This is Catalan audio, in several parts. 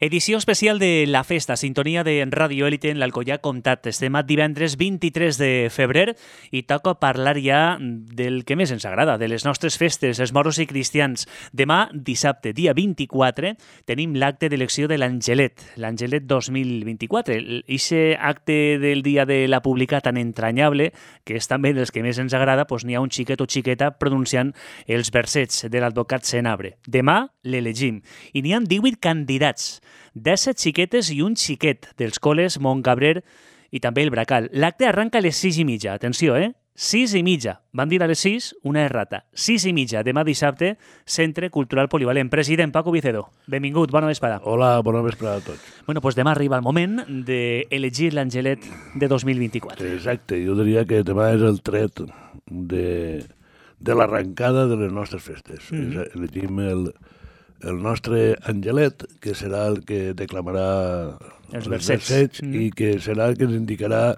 Edició especial de La Festa, sintonia de Ràdio Élite en l'Alcoià Comtat. Estem a divendres 23 de febrer i toca parlar ja del que més ens agrada, de les nostres festes, els moros i cristians. Demà, dissabte, dia 24, tenim l'acte d'elecció de l'Angelet, l'Angelet 2024. Ixe acte del dia de la pública tan entranyable, que és també dels que més ens agrada, doncs n'hi ha un xiquet o xiqueta pronunciant els versets de l'advocat Senabre. Demà l'elegim i n'hi ha 18 candidats, 17 xiquetes i un xiquet dels col·les Montcabrer i també el Bracal. L'acte arranca a les 6:30. Atenció, 6:30. Van dir a les 6 una errata. 6:30, demà dissabte, Centre Cultural Polivalent. President Paco Vicedo, benvingut, bona vesprada. Hola, bona vesprada a tots. Bueno, doncs demà arriba el moment d'elegir l'Angelet de 2024. Exacte, jo diria que demà és el tret de l'arrencada de les nostres festes. Elegim el nostre Angelet, que serà el que declamarà els versets i que serà el que ens indicarà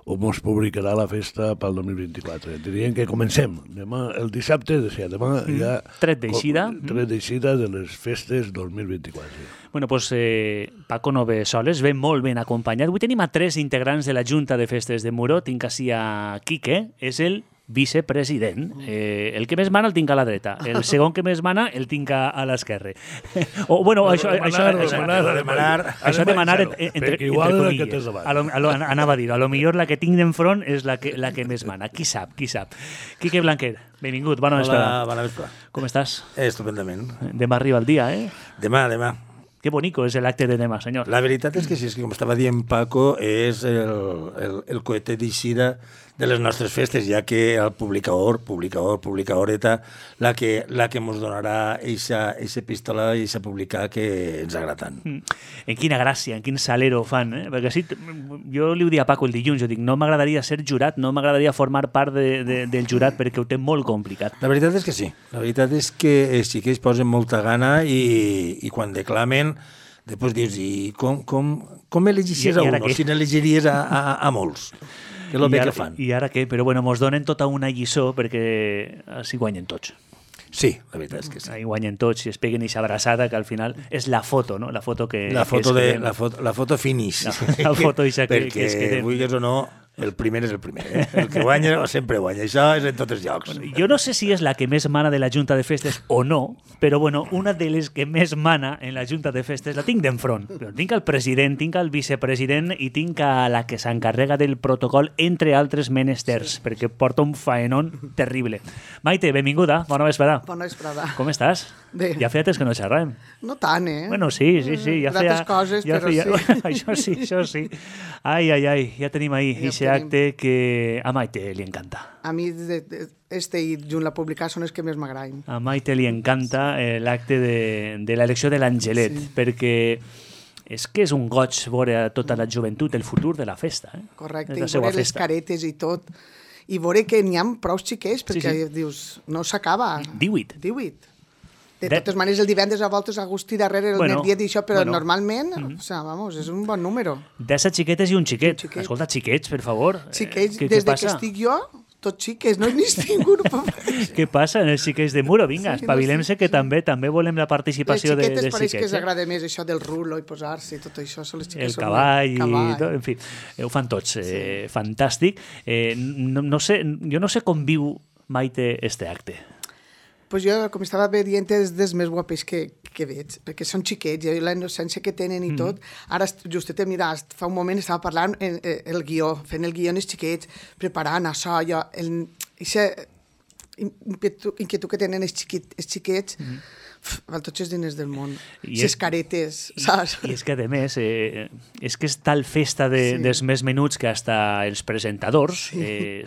o ens publicarà la festa pel 2024. Diríem que comencem. Demà, el dissabte, demà ja... Tret d'eixida. Tret d'eixida de les festes 2024. Bueno, doncs Paco no ve soles, ve molt ben acompanyat. Avui tenim a 3 integrants de la Junta de Festes de Muro. Tinc així a Quique, és el vicepresident. El que més mana el tinc a la dreta. El segon que més mana el tinc a l'esquerra. O, bueno, això de manar entre comilles. Anava a dir, a lo millor la que tinc d'enfront és la que més mana. Qui sap. Quique Blanquer, benvingut, bona vesprada. Hola, bona vesprada. Com estàs? Estupendament. Demà arriba el dia, Demà. Que bonico és l'acte de demà, senyor. La veritat és que sí, és que com estava dient Paco, és el coete d'eixida de les nostres festes, ja que el publicadoreta, la que ens donarà eixa epístola i eixa publicar que ens agrada tant. En quina gràcia, en quin salero fan, perquè sí, jo li ho dic a Paco el dilluns, jo dic, no m'agradaria ser jurat, no m'agradaria formar part del jurat perquè ho té molt complicat. La veritat és que sí, la veritat és que els xiquets posen molta gana i quan declamen després dius, i com elegiries a uno, si n'elegiries a molts? Que és el bé que fan. I ara què? Però bueno, mos donen tota una lliçó perquè així guanyen tots. Sí, la veritat és que sí. Ahí guanyen tots i es peguen eixa abraçada que al final és la foto, no? La foto que... La foto finish. La foto eixa que es perquè, queden. vulguis o no, el primer és el primer. El que guanya sempre guanya. Això és en tots els llocs. Bueno, jo no sé si és la que més mana de la Junta de Festes o no, però bueno, una de les que més mana en la Junta de Festes la tinc d'enfront. Tinc el president, tinc el vicepresident i tinc a la que s'encarrega del protocol, entre altres menesters, perquè porta un faenón terrible. Maite, benvinguda, bona vesprada. Bona vesprada. Com estàs? Bé. Ja feia temps que no xerràvem. No tant, Bueno, sí. Ja feia... D'altres coses, ja però feia... sí. Això sí. Ai, ja tenim ahí ese acte que a Maite li encanta. A mi, i junt la publicar són els que més m'agraden. A Maite li encanta l'acte de l'elecció de l'Angelet, perquè és que és un goig veure tota la joventut, el futur de la festa. Correcte, i veure les caretes i tot. I veure que n'hi ha prou xiquets, perquè dius, no s'acaba. 18. De totes maneres, el divendres a voltes Agustí darrere el dia d'això, però normalment, és un bon número. 17 xiquetes i un xiquet. Escolta, xiquets, per favor. Xiquets, des que estic jo, tots xiquets, no he vist ningú. Què passa en els xiquets de Muro? Vinga, espavilem-se que també volem la participació de xiquets. Les xiquetes pareix que els agrada més això del rulo i posar-se i tot això. El cavall i tot, en fi. Ho fan tots, fantàstic. Jo no sé com viu Maite este acte. Pues jo, com estava dient, és dels més guapes que veig, perquè són xiquets, i la innocència que tenen i tot. Ara, justet, mira, fa un moment estava parlant el guió, fent el guió en els xiquets, preparant això, aquesta inquietud que tenen els xiquets, val tots els diners del món, les caretes, saps? I és que, a més, és que és tal festa dels més menuts que hasta els presentadors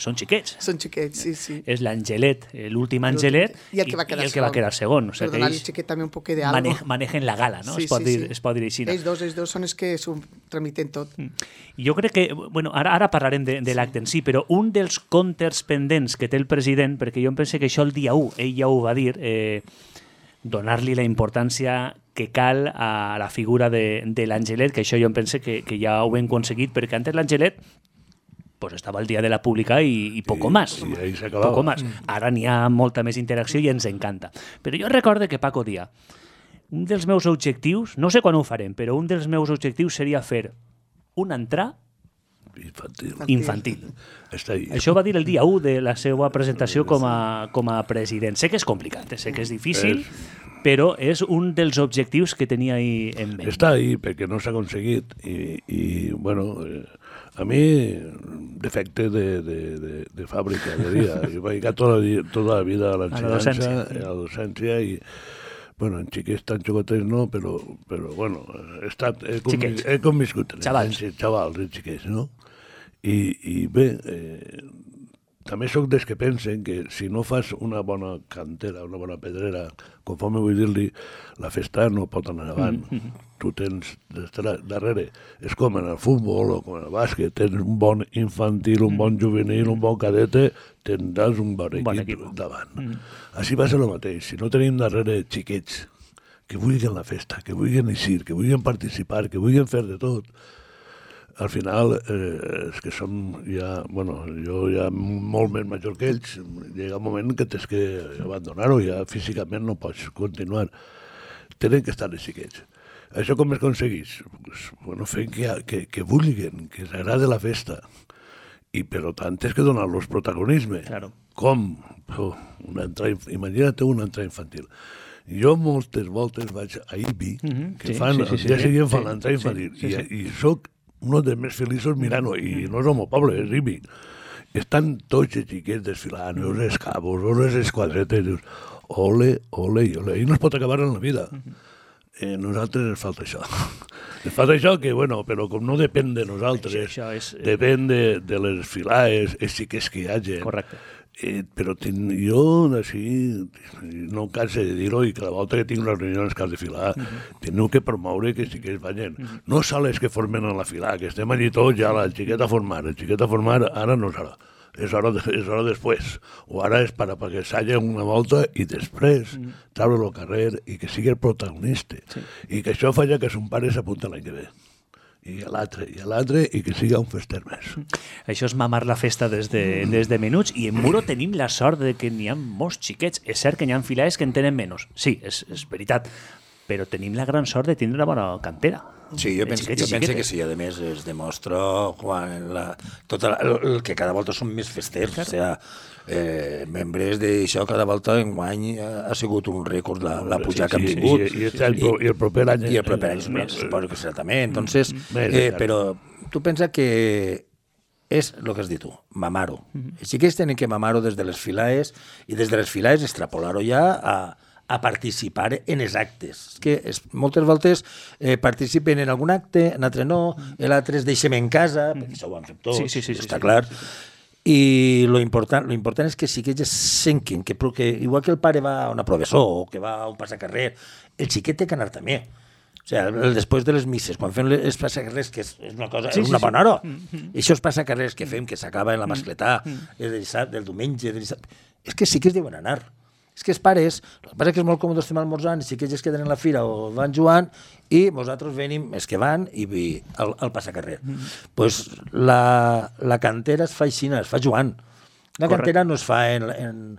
són xiquets. Són xiquets, sí. És l'Angelet, l'últim Angelet, i el que va quedar segon. Per donar-li xiquet també un poc de algo. Manejen la gala, no? Es pot dir així. Ells dos són els que s'ho tramiten tot. Jo crec que, bueno, ara parlarem de l'acte en si, però un dels comptes pendents que té el president, perquè jo em penso que això el dia 1, ell ja ho va dir, donar-li la importància que cal a la figura de l'Angelet, que això jo em pense que ja ho hem aconseguit, perquè antes l'Angelet pues estava el dia de la pública i poco más. I ahí s'acabava. Poco más. Ara n'hi ha molta més interacció i ens encanta. Però jo recordo que Paco dia un dels meus objectius, no sé quan ho farem, però un dels meus objectius seria fer un entrar infantil. Està ahí. Això va dir el dia 1 de la seva presentació com a president. Sé que és complicat, sé que és difícil, però és un dels objectius que tenia ahí en ment. Està ahí perquè no s'ha aconseguit i bueno, a mi, defecte de fàbrica, diria. Jo vaig dedicar tota la vida a l'ensenyança, a la docència i bueno, en xiquets tan xocotets no, però bueno, he conviscut. Xavals. Xavals, xiquets, no? I bé, també sóc dels que pensen que si no fas una bona cantera, una bona pedrera, conforme vull dir-li, la festa no pot anar avant. Tu tens darrere, és com en el futbol o com en el bàsquet, tens un bon infantil, un bon juvenil, un bon cadete, tindràs un bon equip davant. Així va ser el mateix. Si no tenim darrere xiquets que vulguin la festa, que vulguin eixir, que vulguin participar, que vulguin fer de tot, al final, és que som ja, bueno, jo ja molt més major que ells, llega un moment que tens que abandonar-ho, ja físicament no pots continuar. Tenen que estar els xiquets. Això com es aconsegueix? Pues, bueno, fent que vulguin, que els agrada la festa. I per tant tens que donar-los protagonisme. Claro. Com? Imagina't una entrada infantil. Jo moltes voltes vaig a IBI, que fan, el dia seguint fan l'entrada infantil, i soc un dels més feliços mirant-ho, i no és el meu poble, és IBI. Estan tots els xiquets desfilant, els escabos, les esquadretes, dius, ole, ole i ole, i no es pot acabar en la vida. A nosaltres ens falta això. Ens falta això que, bueno, però com no depèn de nosaltres, depèn de les filades, els xiquets que hi hagi. Correcte. Però jo, així, no em canso de dir-ho, i cada volta que tinc una reunió que has de filar, teniu que promoure que sí que es vagin. No sols que formen a la fila, que estem allí tots ja, el xiquet a formar, ara no serà. És hora després. O ara és perquè s'hagi una volta i després treure el carrer i que sigui el protagonista. I que això faci que son pare s'apunta l'any que ve. I l'altre, i que siga un fester més. Això és mamar la festa des de menuts, i en Muro tenim la sort de que n'hi ha molts xiquets. És cert que n'hi ha filades que en tenen menys. Sí, és veritat. Però tenim la gran sort de tindre una bona cantera. Sí, jo penso que sí. A més, es demostra el que cada volta són més festers. O sigui, membres d'això, cada volta enguany ha sigut un rècord la pujada que hem tingut. I el proper any... I el proper any suposo que serà també. Entonces, però tu pensa que és el que has dit tu, mamar-ho. Així que ells tenen que mamar-ho des de les filades, i des de les filades extrapolar-ho ja a participar en els actes. És que moltes voltes participen en algun acte, en altre no, l'altre es deixem en casa, perquè això ho han fet tots, està clar. I lo important és que sí que ells senquin, que igual que el pare va a una professor o que va a un passacarrer, el xiquet té que anar també. O sigui, després de les misses, quan fem els passacarrers, que és una cosa, una bona hora, això és passacarrers que fem, que s'acaba en la mascletà, del diumenge, és que sí que es deuen anar. És que els pares, el que passa és que és molt còmode estem almorzant, sí que ells es queden en la fira o van jugant, i nosaltres venim, els que van, i al passacarrer. Pues la cantera es fa així, es fa jugant. La cantera no es fa en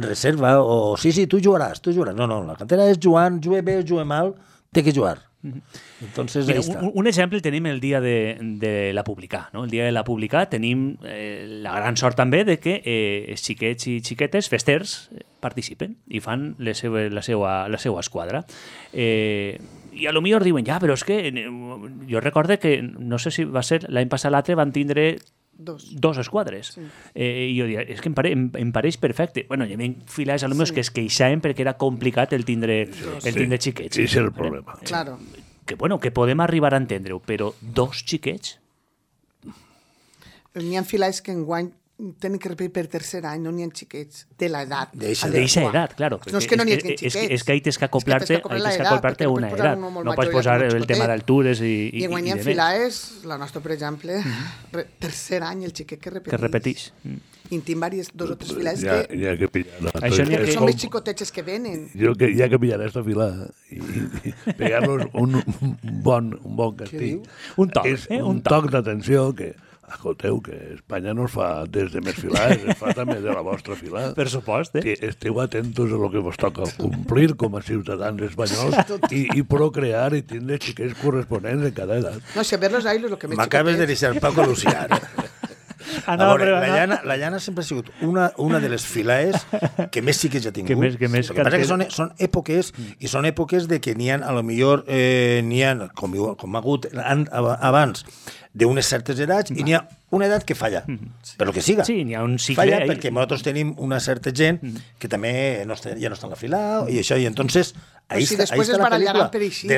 reserva, o sí, tu jugaràs. No, la cantera és jugant, jugue bé o jugue mal, té que jugar. Entonces, mira, un exemple el tenim el dia de la Publicà, no? El dia de la Publicà tenim la gran sort també de que xiquets i xiquetes festers participen i fan la seva esquadra. I a lo millor diuen, però és que jo recorde que, no sé si va ser l'any passat l'altre, van tindre dos esquadres. Sí. I jo diria, és que em pareix perfecte. Bueno, hi havia filades alumnes que es queixaven perquè era complicat el tindre xiquets. Sí, és el problema. Claro. Que podem arribar a entendre-ho, però dos xiquets? N'hi ha filades que enguany tenen que repetir per tercer any, no n'hi ha xiquets de l'edat. D'eixa edat, claro. No és que no n'hi ha xiquets. És que ahí tens que acoplar-te a una edat. No pots posar el tema d'altures i I enguany hi ha filades, la nostra, per exemple, tercer any, el xiquet que repeteix. I en tinc dos o tres filades que pillar. Que són més xicotets que venen. Jo que hi ha que pillar aquesta filada i pegar-los un bon castell. Un toc d'atenció que Escolteu, que Espanya no es fa des de més filades, es fa també de la vostra filada. Per supost, Esteu atentos a lo que vos toca complir com a ciutadans espanyols i procrear i tindre xiquets corresponents en cada edat. No sé, ver los ailos, lo que més M'acabes de deixar Paco Lucià. A veure, la Llana sempre ha sigut una de les filaes que més xiquets ha tingut. Que més el que passa que són èpoques, i són èpoques de que n'hi ha, a lo millor, com ha hagut abans, d'unes certes edats, i n'hi ha una edat que falla, per lo que siga. Sí, n'hi ha un cicle. Falla perquè nosaltres tenim una certa gent que també ja no està en la fila, i això, i entonces ahí si està, després ahí es està la barallaran pel·lícula. per així.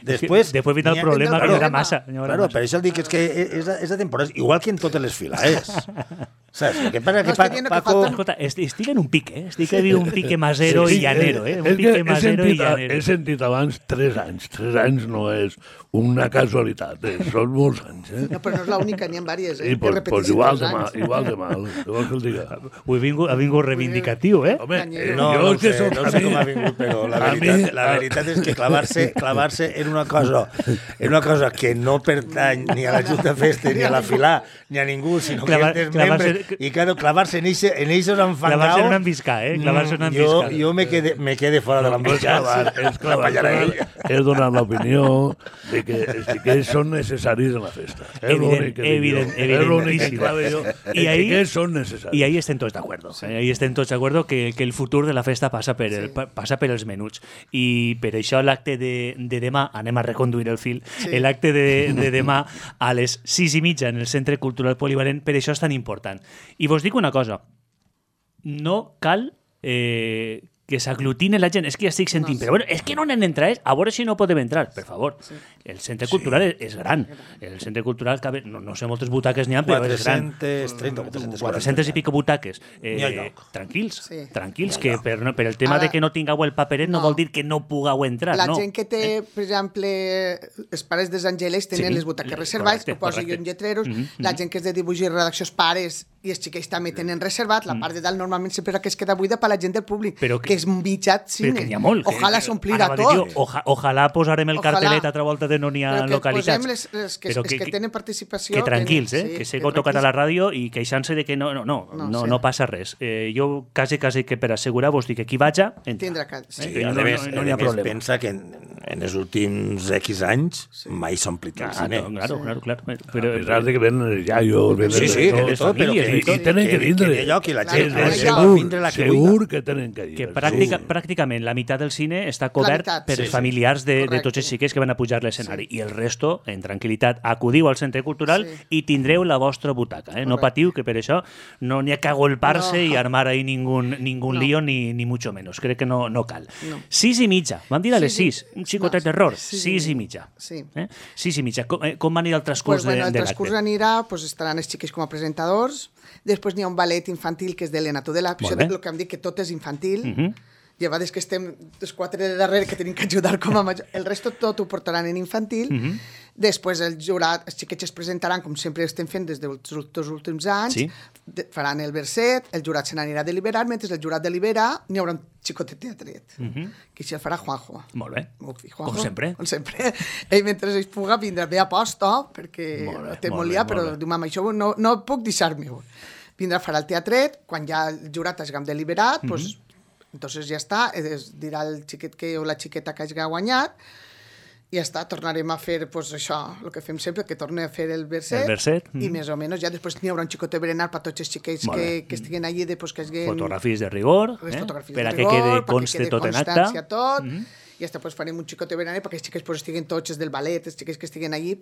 Després vindrà el problema que era massa. Claro, per això el dic que és de temporada, igual que en totes les filaes. Saps? El que passa que Paco... Escolta, estic en un pique, estic a dir un pique masero i llanero, Un pique masero i llanero. He sentit abans 3 anys. 3 anys no és una casualitat, són molts anys. No, però no és l'única, n'hi ha diverses. I pues igual de mal. Què vols que el diga? Ha vingut reivindicatiu, Home, no sé com ha vingut, però la veritat és que clavar-se en una cosa que no pertany ni a la Junta Festa, ni a la Filà, ni a ningú, sinó que és desmembre, i claro, clavar-se en eixos enfangaus... Clavar-se en una embiscà, Clavar-se en una embiscà. Jo me quede fora de l'embiscà. És donar l'opinió de que els xiquets són necessaris en la festa. Evidentíssim. I ahí estem tots d'acord. Ahí estem tots d'acord que el futur de la festa passa per els menuts. I per això l'acte de demà, anem a reconduir el fil, l'acte de demà a les 6:30 en el Centre Cultural Polivalent, per això és tan important. I vos dic una cosa, no cal que s'aglutine la gent. És que ja estic sentint, però bueno, és que no n'han entrat, a veure si no podem entrar, per favor. El centre cultural és gran. El centre cultural cabe, no sé moltes butaques n'hi ha, però és gran. 400 i pico butaques. Tranquils, que per el tema de que no tingueu el paperet no vol dir que no pugueu entrar. La gent que té, per exemple, els pares dels Angeles tenen les butaques reservades, ho poso jo en lletreros, la gent que és de dibuix i redacció, els pares i els xiquets també tenen reservat, la part de dalt normalment sempre que es queda buida per la gent del públic, que és un mitjat cine. Però que n'hi ha molt. Ojalà s'omplirà tot. Ojalà posarem el cartelet altra volta de no n'hi ha localitats. Però que posem els que tenen participació... Que tranquils, que s'he tocat a la ràdio i queixant-se de que no passa res. Jo quasi que per assegurar-vos dic que qui vaja, tindrà que... No n'hi ha problema. Pensa que en els últims X anys mai s'ha omplit el cine. Claro. A pesar de que venen els iaios, de tot, però i tenen que vindre. Que lloc i la gent segur que tenen que ir. Que pràcticament la meitat del cine està cobert per els familiars de tots els xiquets que van a pujar l'escenari. I el resto, en tranquil·litat, acudiu al centre cultural i tindreu la vostra butaca. No patiu, que per això no n'hi ha que agolpar-se i armar ahí ningún lío, ni mucho menos. Crec que no cal. 6:30. Vam dir a les 6. Un xicotet d'error. 6:30. 6:30. Com va anirà el transcurs de l'acte? El transcurs anirà, estaran els xiquets com a presentadors, després n'hi ha un ballet infantil que és d'Helena Tudela, això és el que em dic que tot és infantil, llevades que estem els 4 de darrere que tenim que ajudar com a major, el resto tot ho portaran en infantil, després el jurat, els xiquets es presentaran com sempre estem fent des dels últims anys, faran el verset, el jurat se n'anirà a deliberar, mentre el jurat delibera n'hi haurà un xicotet teatret, que això el farà Juanjo. Molt bé, com sempre. Ell mentre es puga vindrà bé a posta, perquè té molt liat, però diu, mama, això no puc deixar-me-ho. Vindrà a farà el teatret, quan ja el jurat hagam deliberat, entonces ja està, dirà el xiquet o la xiqueta que hagi guanyat, i ja està, tornarem a fer això, el que fem sempre, que torni a fer el verset, i més o menys ja després n'hi haurà un xicot de berenar per tots els xiquets que estiguen allí, que hagin... Fotografies de rigor, per a que quede conste tot en acta. I després farem un xicot de berenar perquè els xiquets estiguen tots del ballet, els xiquets que estiguen allí,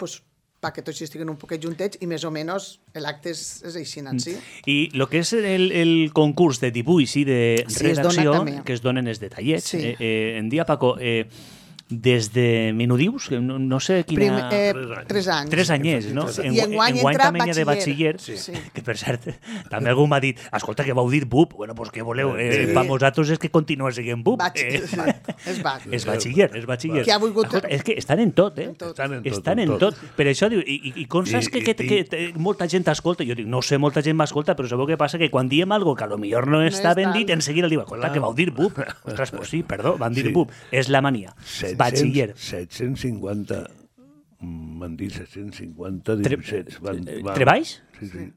perquè tots estiguen un poquet juntets i més o menys l'acte és així, sí? I el que és el concurs de dibuix i de redacció, que es donen els detallets, en dia, Paco, des de Menudius, no sé quina... 3 anys. 3 anyers, no? I enguany entra batxiller, que per cert, també algú m'ha dit, escolta, que vau dir BUP, bueno, pues què voleu? Per vosaltres és que continua sent BUP. És batxiller. Que ha volgut... És que estan en tot, Estan en tot. Per això diu, i constants que molta gent escolta, jo dic, no sé, molta gent m'escolta, però sabeu què passa? Que quan diem algo que a lo millor no està ben dit, en seguida diu, escolta, que vau dir BUP. Ostres, pues sí, perdó, van dir BUP. És la mania. Batxiller. 750 m'han dit 750 dibuixets. Treballs? Sí.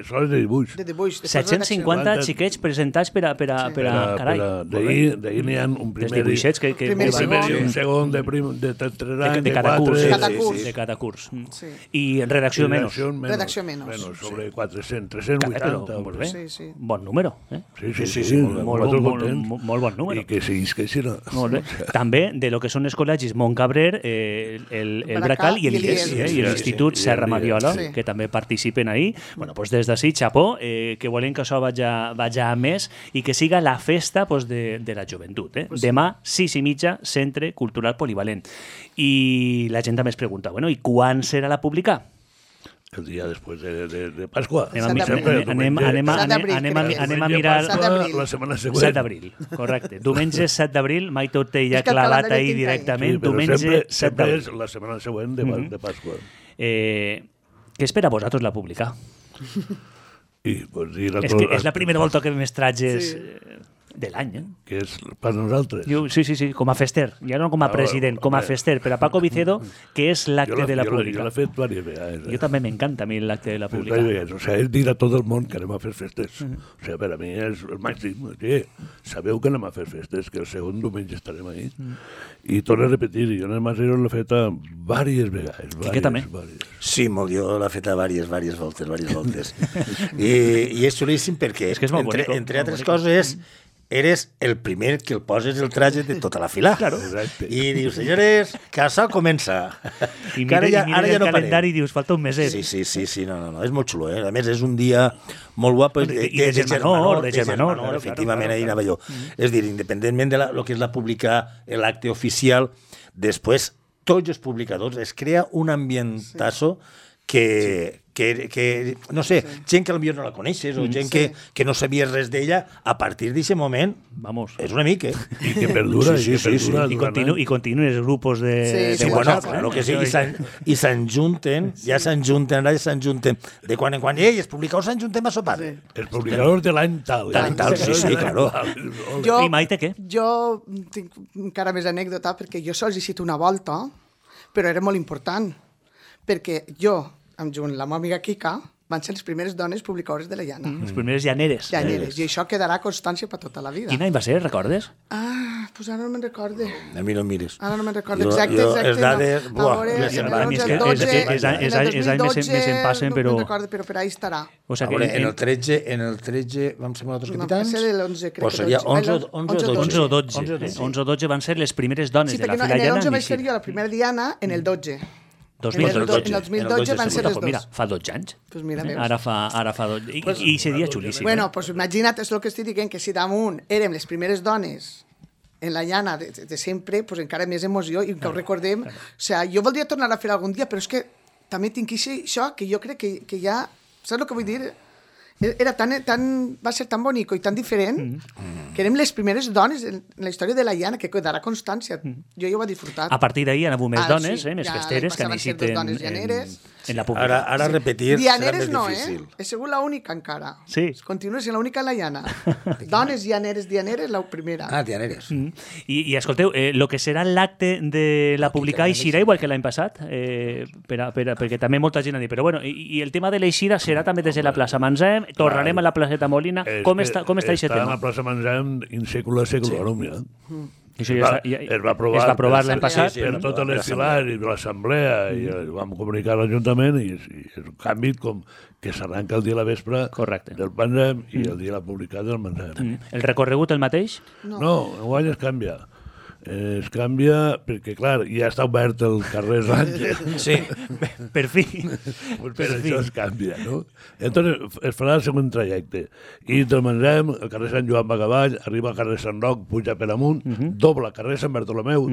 Sols de dibuix. De dibuix. 750 xiquets presentats per a carai. D'ahir n'hi ha un Dels primer... dibuixets que primer i Un segon de 3 anys, de cada curs. de De cada curs. Sí. I en redacció menys. Redacció menys. Bueno, sobre 400, 380. Molt bé. Sí. Bon número. Sí, Molt bon número. I que seguís que així no. Molt bé. També de lo que són els col·legis Montcabrer, el Bracal i l'IES, i l'Institut Serra Mariola, que també participen ahí. Bueno, pues des d'ací, xapó, que volem que això vaja a més i que siga la festa de la joventut. Demà, 6:30, Centre Cultural Polivalent. I la gent també es pregunta, bueno, i quan serà la publicar? El dia després de Pasqua. Anem a mirar... La setmana següent. 7 d'abril, correcte. Diumenge 7 d'abril, mai tot té ja clavat ahí directament. Diumenge 7 d'abril. És la setmana següent de Pasqua. Què espera vosaltres la publicar? És que és la primera volta que més trages de l'any, que és per nosaltres. Sí, com a fester, ja no com a president, com a fester, per a Paco Vicedo, que és l'acte de la publicar. Jo l'he fet diverses vegades. Jo també m'encanta a mi l'acte de la publicar. O sigui, és dir a tot el món que anem a fer festes. O sigui, per a mi és el màxim. Sabeu que anem a fer festes, que el segon diumenge estarem ahí. I torno a repetir, jo en Masero l'he fet diverses vegades. Quique també? Sí, molt, jo l'he fet diverses voltes. I és xulíssim perquè, entre altres coses, eres el primer que el poses el traje de tota la fila. Claro. I dius, senyores, que això comença. I mira el calendari i dius, falta un meset. Sí, no, és molt xulo. A més, és un dia molt guapo. I de germanor, efectivament, ahir anava jo. És dir, independentment de lo que és la publicar l'acte oficial, després, tots els publicadors, es crea un ambientazo que no sé, gent que potser no la coneixes o gent que no sabies res d'ella, a partir d'aquest moment, és un amic, I que perdura, I continuen els grupos de WhatsApp. Claro que sí, i s'enjunten, de quan en quan, es publicau s'enjuntem a sopar. Els publicadors de l'any tal. Sí, claro. I Maite, què? Jo tinc encara més anècdota, perquè jo sols he sigut una volta, però era molt important, perquè jo, amb la meva amiga Kika, van ser les primeres dones publicadores de la llana. Les primeres llaneres. I això quedarà constància per tota la vida. Quin any va ser, recordes? Pues ara no me'n recorde. A mi no em mires. Ara no me'n recorde exacte. Les dades... Els anys més em passen, però... No me'n recorde, però per ahí estarà. En el 13 vam ser nosaltres capitans? No, va ser de l'11, crec. Seria 11 o 12. 11 o 12 van ser les primeres dones de la fila llana. Sí, perquè en el 11 vaig ser jo la primera diana, en el 12. En el 2012 van ser les dos. Mira, fa 12 anys. Pues mira, ara fa 12. I seria xulíssim. Bueno, pues imagina't, és el que estic dient, que si damunt érem les primeres dones en la llana de sempre, pues encara més emoció i que ho recordem. O sigui, jo voldria tornar a fer algun dia, però és que també tinc això, que jo crec que ja... Saps el que vull dir? Va ser tan bonic i tan diferent que érem les primeres dones en la història de la llana, que quedarà constància. Jo ja ho he disfrutat. A partir d'ahir han hagut més dones, més festeres, que necessiten en la pública. Ara repetir serà més difícil. He sigut l'única encara. Sí. Continua sent l'única en la llana. Dones llaneres, la primera. llaneres. I escolteu, el que serà l'acte de la publicar eixirà igual que l'any passat, perquè també molta gent ha dit, però bueno, i el tema de l'eixida serà també des de la plaça Manzem, tornarem a la placeta Molina. Com està aquest tema? Està a la plaça Manzem in secula seculorum, ja. Això es va aprovar l'any passat per totes les filars i l'assemblea i vam comunicar a l'Ajuntament i és un canvi com que s'arranca el dia a la vespre del Manzem i el dia de la publicar del Manzem. El recorregut el mateix? No, enguany es canvia. Es canvia perquè, clar, ja està obert el carrer Ràngel. Sí, per fi. Per això es canvia, no? Entonces es farà el següent trajecte. I del Manzem, el carrer Sant Joan va cavall, arriba al carrer Sant Roc, puja per amunt, dobla carrer Sant Bartolomeu,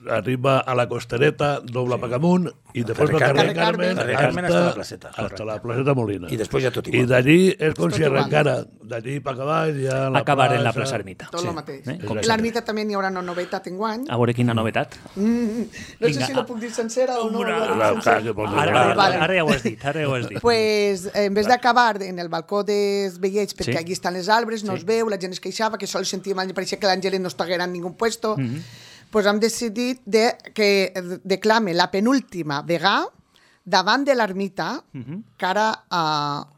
arriba a la Costereta, dobla per amunt, i després va carrer Carmen hasta la placeta Molina. I després ja tot igual. I d'allí és com si arrencara. D'allí per cavall ja a la acabar en la plaça Ermita. Tot el mateix. L'Ermita també n'hi haurà una novetat enguany. A veure quina novetat. No sé si la puc dir sencera o no. Ara ja ho has dit. Pues, en vez d'acabar en el balcó dels veiets, perquè allí estan les arbres, no es veu, la gent es queixava, que sol sentíem, pareixia que l'Àngel no estiguera en ningú puesto, pues hem decidit que declame la penúltima vegada davant de l'ermita, cara a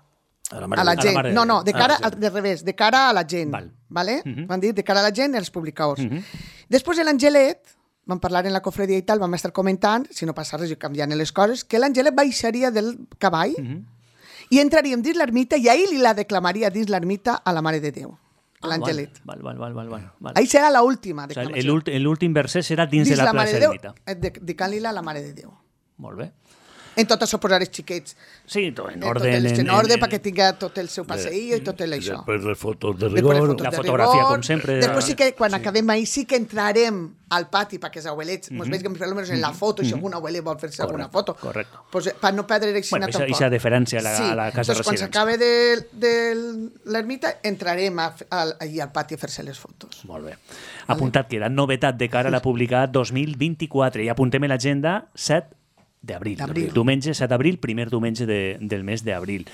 la gent. No, de cara al revés, de cara a la gent. Vale? Van dir de cara a la gent i als publicadors. Després de l'Angelet, vam parlar en la cofredia i tal, vam estar comentant, si no passa res i canviant les coses, que l'Angelet baixaria del cavall i entraríem dins l'ermita i ahir li la declamaria dins l'ermita a la Mare de Déu, l'Angelet. Ahir serà l'última declamació. L'últim verset serà dins de la plaça ermita. Dedicant-li-la a la Mare de Déu. Molt bé. En tot això posar els xiquets. Sí, en orden. En orden, perquè tinga tot el seu passeïll i tot això. Després les fotos de rigor. La fotografia, com sempre. Després sí que, quan acabem ahir, sí que entrarem al pati perquè els abuelets, mos vegin almenys en la foto, si algun abuelet vol fer-se alguna foto. Correcte. Per no perdre l'eixina tampoc. Aquesta deferència a la casa residència. Quan s'acabe de l'ermita, entrarem allà al pati a fer-se les fotos. Molt bé. Apuntat queda novetat de cara a la publicar 2024 i apuntem a l'agenda 7 d'abril. Diumenge 7 d'abril, primer diumenge del mes d'abril.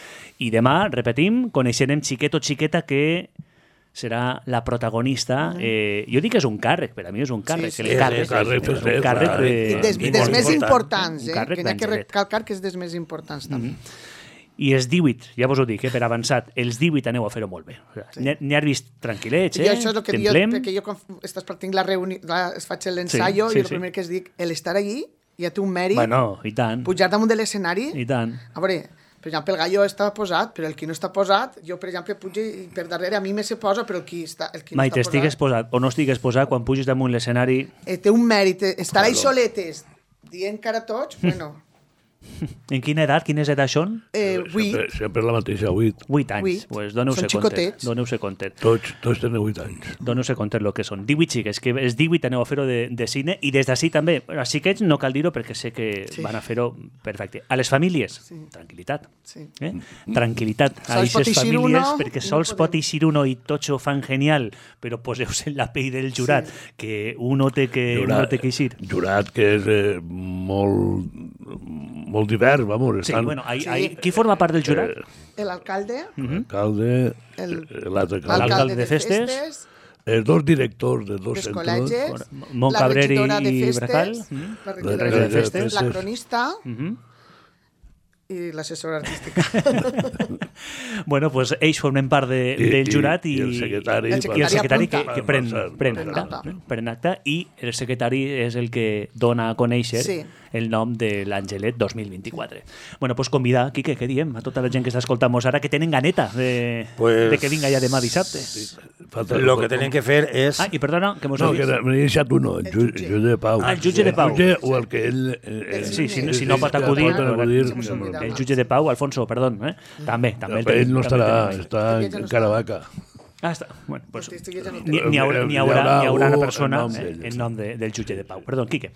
I demà, repetim, coneixerem xiquet o xiqueta que serà la protagonista. Jo dic que és un càrrec, per a mi és un càrrec. Sí, és un càrrec dels més importants, que n'hi ha que recalcar que és dels més importants també. I els 18, ja vos ho dic, per avançat, els 18 aneu a fer-ho molt bé. N'hi has vist tranquil·lets, I això és el que perquè jo estàs partint la reunió, es faig l'ensaio i el primer que es dic, l'estar allí ja té un mèrit. Bueno, i tant. Pujar damunt de l'escenari. I tant. A veure, per exemple, el Gallo està posat, però el qui no està posat, jo, per exemple, pujo i per darrere a mi me se posa, però el qui no està Mai t'estigues posat o no estigues posat quan puges damunt l'escenari. Té un mèrit. Estar ahí soletes, dient cara a tots, bueno... En quina edat? Quines edats són? 8. Sempre la mateixa, 8. 8 anys. Pues doneu-se compte. Tots tenen 8 anys. Doneu-se compte el que són. 18 xiques, que els 18 aneu a fer-ho de cine i des d'ací també. Els xiquets no cal dir-ho perquè sé que van a fer-ho perfecte. A les famílies, tranquil·litat. Tranquil·litat a aquestes famílies perquè sols pot eixir uno i tots ho fan genial, però poseu-se en la pell del jurat, que uno té que eixir. Jurat que és molt divers, vamos. Sí, bueno, qui forma part del jurat? L'alcalde. L'alcalde, l'alcalde de festes. Els dos directors de dos centres. Col·legis. Montcabrer i Bracal. La regidora de festes. La cronista. I l'assessora artística. Bueno, pues ells formen part del jurat i el secretari que pren acta i el secretari és el que dona a conèixer el nom de l'Angelet 2024. Bueno, pues convidar, Quique, què diem? A tota la gent que està escoltant-nos ara, que tenen ganeta de que vinga ja demà dissabte. Lo que tenen que fer és... I perdona, que mos no, que m'he deixat uno, el jutge de Pau. El jutge de Pau. O el que ell... Sí, si no pot acudir... El jutge de Pau, Alfonso, perdó, també. Ell no estarà, està en Caravaca. Està. Bueno, pues, n'hi haurà una persona en nom del jutge de Pau. Perdó, Quique.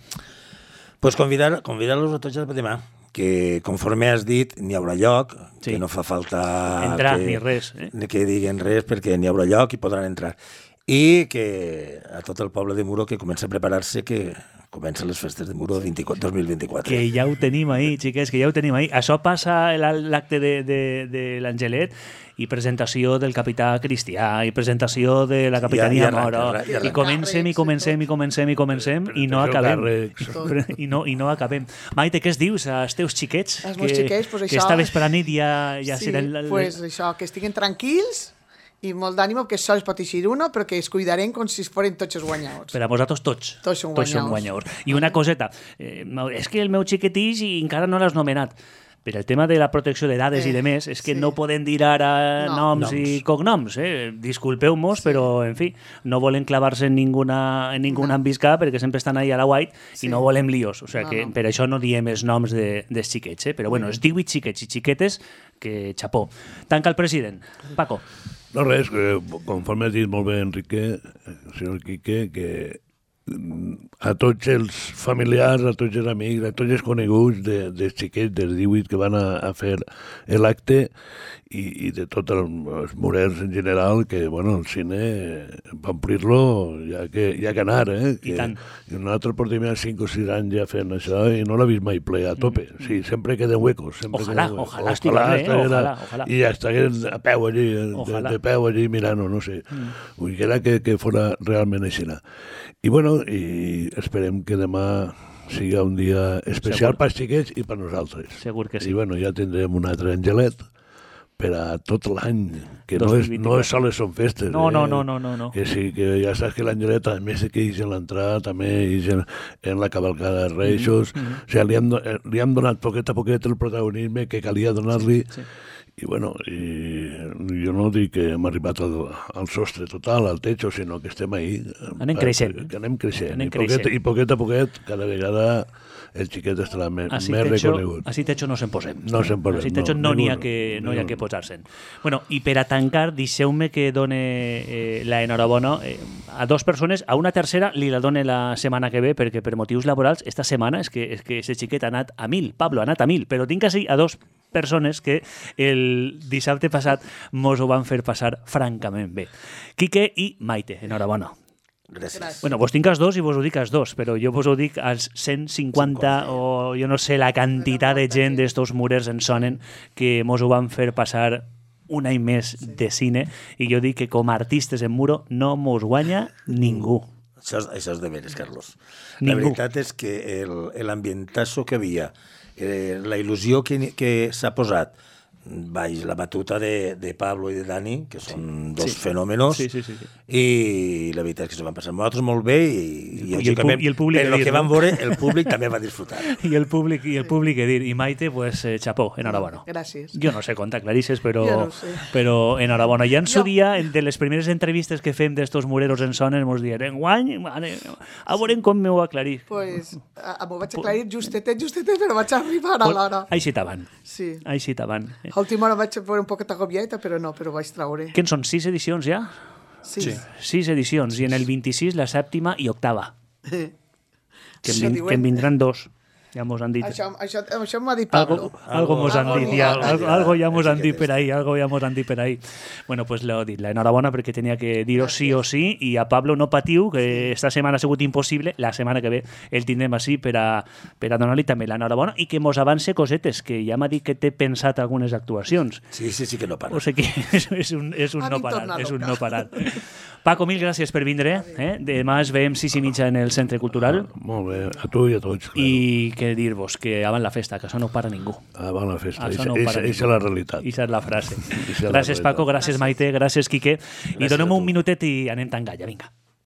Pues convidar-los a tots a demà, que conforme has dit n'hi haurà lloc, que no fa falta entrar ni res, que diguen res perquè n'hi haurà lloc i podran entrar. I que a tot el poble de Muro que comença a preparar-se, que comencen les festes de Muro 2024. Que ja ho tenim ahir, xiquets, que ja ho tenim ahir. Això passa l'acte de l'Angelet i presentació del capità Cristià i presentació de la capitania Moro i comencem i no acabem. I no acabem. Maite, què es dius als teus xiquets? Els meus xiquets, pues això... Que esta vespre nit ja seran... Sí, pues això, que estiguin tranquils i molt d'ànimo, que sols pot eixir uno, però que es cuidarem com si foren tots els guanyadors. Per a vosaltres tots. Tots són guanyadors. I una coseta, és que el meu xiquetix i encara no l'has nomenat. Per el tema de la protecció de dades i de més, és que no podem dir ara noms i cognoms. Disculpeu-nos, però, en fi, no volen clavar-se en ningún ambiscà perquè sempre estan ahí a la white i no volem líos. O sigui que per això no diem els noms dels xiquets. Però, bueno, els 18 xiquets i xiquetes, que xapó. Tanca el president. Paco. No, res, conforme has dit molt bé, Enrique, senyor Quique, que a tots els familiars, a tots els amics, a tots els coneguts dels xiquets dels 18 que van a fer l'acte i de tots els morers en general, que, bueno, el cine va omplir-lo ja que anar, I tant. I nosaltres portem ja 5 o 6 anys ja fent això i no l'ha vist mai ple a tope. Sí, sempre queden huecos. Ojalà estigués, ojalà. I ja estigués a peu allí, de peu allí mirant-ho, no sé. Vull que era que fora realment així. I, bueno, especial i esperem que demà sigui un dia especial pels xiquets i per nosaltres. Segur que sí. I bueno, ja tindrem un altre angelet per a tot l'any, que no és sols són festes. No. Que sí, que ja saps que l'angelet, a més que ix en l'entrada, també ix en la cavalcada de Reis. O sigui, li hem donat poquet a poquet el protagonisme que calia donar-li. Sí. I bueno, jo no dic que hem arribat al sostre total, al techo, sinó que estem ahí. Anem creixent. Que anem creixent. I poquet a poquet, cada vegada el xiquet estarà més reconegut. Així techo no se'n posem. No se'n posem. Així techo no hi ha que posar-se'n. Bueno, i per a tancar, deixeu-me que done la enhorabona a dues persones. A una tercera li la done la setmana que ve, perquè per motius laborals, esta setmana és que ese xiquet ha anat a 1000. Pablo ha anat a 1000, però tinc així a dues persones que el dissabte passat mos ho van fer passar francament bé. Quique i Maite, enhorabona. Gràcies. Bueno, vos tinc els dos i vos ho dic als dos, però jo vos ho dic als 150 o jo no sé la quantitat de gent d'estos murers en sonen que mos ho van fer passar un any més de cine i jo dic que com a artistes en muro no mos guanya ningú. Això és de veres, Carlos. Ningú. La veritat és que l'ambientazo que havia, la il·lusió que s'ha posat baix la batuta de Pablo i de Dani, que són dos fenòmenos, i la veritat és que s'ho van passar nosaltres molt bé i el públic el que van veure, el públic també va disfrutar. I el públic que dir. I Maite, pues, xapó, enhorabona. Gràcies. Jo no sé contar clarisses, però enhorabona. Ja en su dia, de les primeres entrevistes que fem d'estos mureros en sones, mos dient, enguany, a veure com m'ho aclarir. Pues, m'ho vaig aclarir justetet, però vaig arribar a l'hora. Així t'avan. Sí. Així t'avan. A última hora vaig veure un poquet agobieta, però vaig traure. Què en són, 6 edicions ja? Sí. 6 edicions, i en el 26 la 7ª i 8ª. Que en vindran 2. Ja mos han dit. Això m'ho ha dit Pablo. Algo mos han dit, algo ja mos han dit per ahí. Bueno, pues l'he dit, l'enhorabona perquè tenia que dir-ho sí o sí, i a Pablo no patiu, que esta setmana ha sigut impossible, la setmana que ve el tindrem així per a donar-li també l'enhorabona i que mos avance cosetes, que ja m'ha dit que té pensat algunes actuacions. Sí, que no para. O sigui que és un no parar. Paco, mil gràcies per vindre. Demà es veiem 6:30 en el Centre Cultural. Molt bé, a tu i a tots. I que dir-vos que avant la festa, que això no para ningú. Avant la festa, això és la realitat. Això és la frase. Gràcies, Paco, gràcies, Maite, gràcies, Quique. I donem un minutet i anem tan galla, vinga.